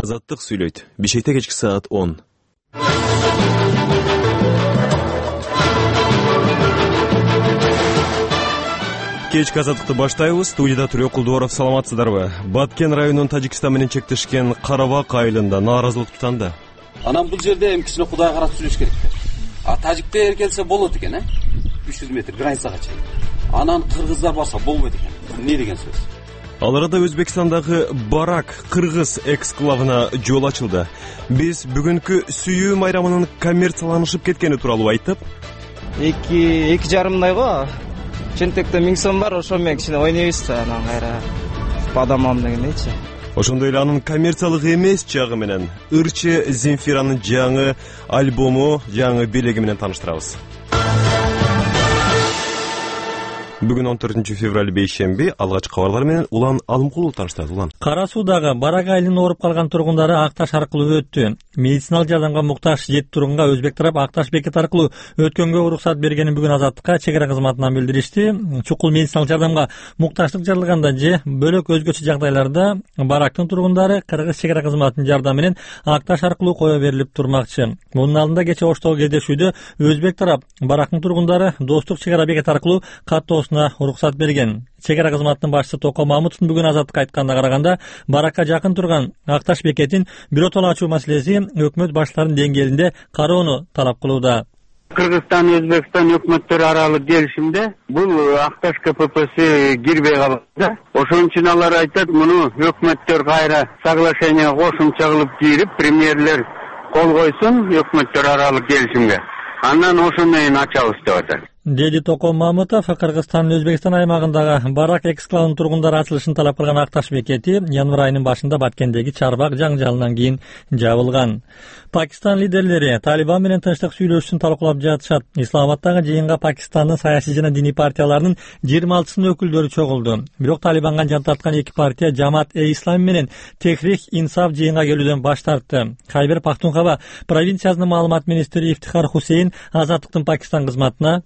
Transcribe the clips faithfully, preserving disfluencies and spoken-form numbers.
Азаттык сүйлөйт. Бишкекте кечки саат он. Кечки азаттыкты баштайбыз. Студияда Түрө Кулдуоров, саламатсыздарбы? Баткен районунун Тажикстан менен чектешкен Карабак айылында нааразылык тутанды. Анан бул жерде эми кичине Кудайга карап сүйлөш керек. А тажиктер келсе болот экен, э? үч жүз метр границага чейин. Анан кыргыздар барса болбойт экен. Эмне деген сөз? Ал арада Өзбекстандагы Барак кыргыз эксклавына жол ачылды. Биз бүгүнкү сүйүү майрамынын коммерцияланышып кеткени тууралуу айттык. эки эки жарымдай го. Чентекте миң сом бар, ошо менен кичине ойнойбуз да, анан кайра бадамам дегендейчи. Ошондой эле анын коммерциялык эмес жагы менен Ырчы Земфиранын жаңы альбому, жаңы белеги менен тааныштырабыз. Бүгүн он төртүнчү февраль бейшемби, алгачкы кабарлар менен Улан Алымкулов тааныштырат. Улан. Кара Суудагы Барак айылынын ооруп калган тургундары Акташ аркылуу өттү. Медициналык жардамга муктаж жети тургунга өзбек тарап Акташ бекет аркылуу өткөнгө уруксат бергенин бүгүн Азаттыкка чек ара кызматынан билдиришти. Чукул медициналык жардамга муктаждык жаралганда же бөлөк өзгөчө жагдайларда Барактын тургундары кыргыз чек ара кызматынын жардамы менен Акташ аркылуу кое берилип турмакчы. Мунун алдында кече Оштогу кездешүүдө өзбек тарап Барактын тургундары достук чек ара бекет аркылуу каттоосуна уруксат берген. Чек ара кызматынын башчысы Токо Мамутовдун бүгүн Азаттыкка айтканына караганда, Баракка жакын турган Акташ бекетин биротоло ачуу маселеси өкмөт баштарынын деңгээлинде кароону талап кылууда. Кыргызстан, Өзбекстан өкмөттөрү аралык келишимде бул Акташ КППси кирбей калды. Ошон үчүн алар айтат, муну өкмөттөр кайра соглашениеге кошумча кылып кирип, премьерлер кол койсун өкмөттөр аралык келишимге. Андан ошондон кийин ачабыз деп атат. Деди Токо Мамутов Кыргызстандын Өзбекстан аймагындагы Барак эксклавынын тургундары ачылышын талап кылган Акташ бекети январь айынын башында Баткендеги чарбак жаңжалынан кийин жабылган. Пакистан лидерлери Талибан менен тынчтык сүйлөшүүсүн талкуулап жатышат. Исламабаддагы жыйынга Пакистандын саясий жана диний партияларынын жыйырма алтысынын өкүлдөрү чогулду. Бирок Талибанга жан тарткан эки партия Жамаат-э-Ислам менен Техрик Инсаф жыйынга келүүдөн баш тартты. Хайбер Пахтунхава провинциясынын маалымат министри Ифтихар Хусейн Азаттыктын Пакистан кызматына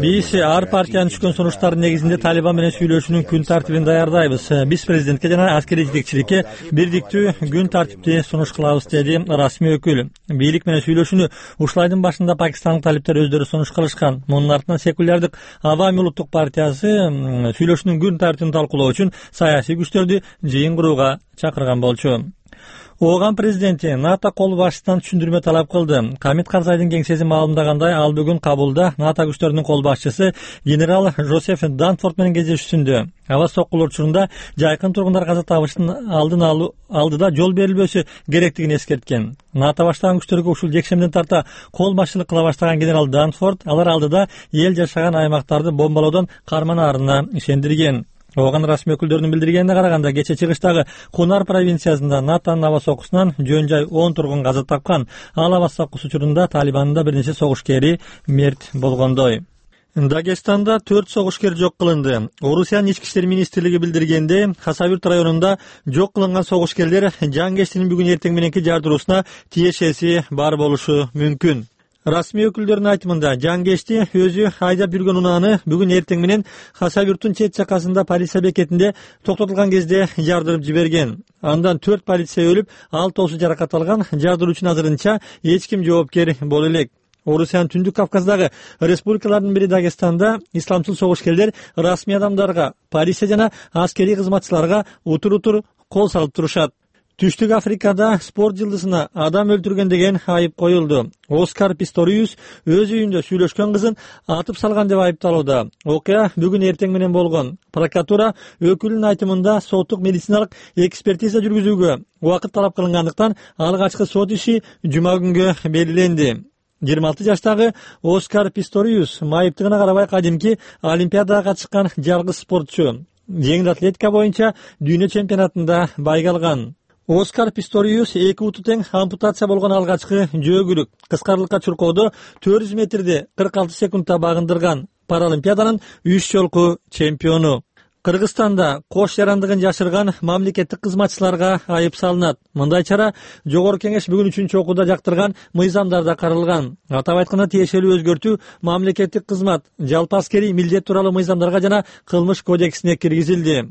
Биз ар партиянын түшкөн сунуштардын негизинде Талибан менен сүйлөшүүнүн күн тартибин даярдайбыз. Биз президентке жана аскерий жетекчиликке бирдиктүү күн тартипти сунуш кылабыз, деди расмий өкүл. Бийлик менен сүйлөшүүнү ушул айдын башында пакистандык талиптер өздөрү сунуш кылышкан. Мунун артынан секулярдык Авами улуттук партиясы сүйлөшүүнүн күн тартибин талкуулоо үчүн саясий күчтөрдү жыйын курууга чакырган болчу. Ооган президенти НАТО кол башчысынан түшүндүрмө талап кылды. Камит Карзайдын кеңсеси маалымдагандай, ал бүгүн Кабулда НАТО күчтөрүнүн кол башчысы генерал Жозеф Данфорд менен кездешүүсүндө аба соккулар учурунда жайкын тургундар каза табышын алдын алуу алдыда жол берилбөсү керектигин эскерткен. НАТО баштаган күчтөргө ушул жекшемден тарта кол башчылык кыла баштаган генерал Данфорд алар алдыда эл жашаган аймактарды бомбалоодон карманаарына ишендирген. Ооган расмий өкүлдөрүнүн билдиргенине караганда, кече чыгыштагы Кунар провинциясында НАТОнун аба сокусунан жөн жай он тургун каза тапкан. Ал аба сокусу учурунда Талибандын да бир нече согушкери мерт болгондой. Дагестанда төрт согушкер жок кылынды. Орусиянын ички иштер министрлиги билдиргенде, Хасавюрт районунда жок кылынган согушкерлер Жангештинин бүгүн эртең мененки жардыруусуна тиешеси бар болушу мүмкүн. Расмий өкүлдөрдүн айтымында, Жангешти өзү айдап жүргөн унааны бүгүн эртең менен Хасавюрттун чет жакасында полиция бекетинде токтотулган кезде жардырып жиберген. Андан төрт полиция өлүп, алтоосу жаракат алган. Жардыруучунун азырынча эч ким жоопкер боло элек. Орусиянын Түндүк Кавказдагы республикалардын бири Дагестанда исламчыл согушкерлер расмий адамдарга, полиция жана аскерий кызматчыларга утур-утур кол салып турушат. Түштүк Африкада спорт жылдызына адам өлтүргөн деген айып коюлду. Оскар Писториус өз үйүндө сүйлөшкөн кызын атып салган деп айыпталууда. Окуя бүгүн эртең менен болгон. Прокуратура өкүлүнүн айтымында соттук медициналык экспертиза жүргүзүүгө убакыт талап кылынгандыктан алгачкы сот иши жума күнгө белгиленди. жыйырма алты жаштагы Оскар Писториус майыптыгына карабай кадимки Олимпиадага катышкан жалгыз спортчу. Жеңил атлетика боюнча дүйнө чемпионатында байга алган. Оскар Писториус эки буту тең ампутация болгон алгачкы жөөгүлүк кыскарылыкка чуркоодо төрт жүз метрди кырк алты секундта багындырган. Паралимпиаданын үч жолку чемпиону. Кыргызстанда кош жарандыгын жашырган мамлекеттик кызматчыларга айып салынат. Мындай чара Жогорку Кеңеш бүгүн үчүнчү окууда жактырган мыйзамдарда каралган. Атап айтканда, тиешелүү өзгөртүү мамлекеттик кызмат, жалпы аскерий милдет тууралуу мыйзамдарга жана кылмыш кодексине киргизилди.